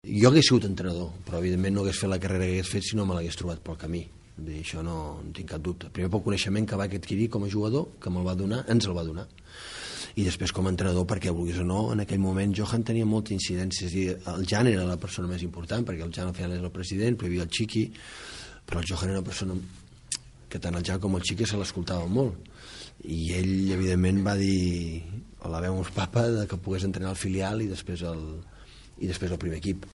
Jo hagués sigut entrenador, però evidentment no hagués fet la carrera que hagués fet si no me l'hagués trobat pel camí. Això no en tinc cap dubte. Primer pel coneixement que va adquirir com a jugador, que me'l va donar, ens el va donar. I després com a entrenador, perquè vulguis o no, en aquell moment Johan tenia molta incidència. És a dir, el Jan era la persona més important, perquè el Jan al final és el president, però hi havia el Chiqui, però el Johan era una persona que tant el Jan com el Chiqui se l'escoltaven molt. I ell, evidentment, va dir, o la veu uns papa, que pogués entrenar el filial i després el primer equip.